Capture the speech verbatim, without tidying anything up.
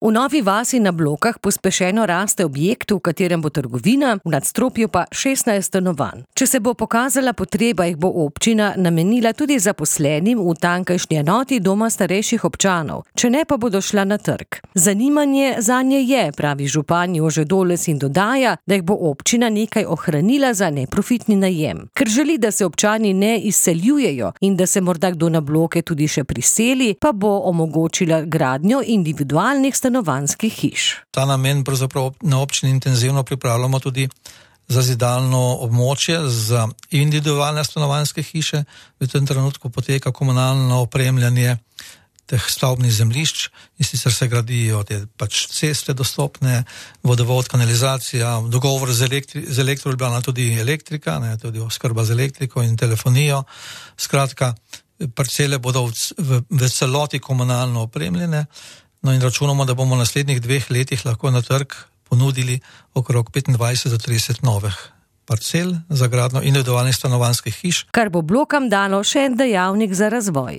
V Novi vasi na Blokah pospešeno raste objekt, v katerem bo trgovina, v nadstropju pa šestnajst stanovanj. Če se bo pokazala potreba, jih bo občina namenila tudi zaposlenim v tamkajšnji enoti doma starejših občanov, če ne pa bodo šla na trg. Zanimanje zanje je, pravi župan Jože Doles in dodaja, da jih bo občina nekaj ohranila za neprofitni najem. Ker želi, da se občani ne izseljujejo in da se morda kdo na Bloke tudi še priseli, pa bo omogočila gradnjo individualnih stanovanj. stanovanjskih hiš. Ta namen pravzaprav na občini intenzivno pripravljamo tudi zazidalno območje za individualne stanovanjske hiše. V tem trenutku poteka komunalno opremljanje teh stavbnih zemljišč in sicer se gradijo te pač ceste dostopne, vodovod, kanalizacija, dogovor z, elektri, z Elektro Ljubljana, tudi elektrika, ne, tudi oskrba z elektriko in telefonijo. Skratka, parcele bodo v, v, v celoti komunalno opremljene. No in računamo, da bomo v naslednjih dveh letih lahko na trg ponudili okrog petindvajset do trideset novih parcel za gradnjo individualnih stanovanjskih hiš. Kar bo Blokam dalo še en dejavnik za razvoj.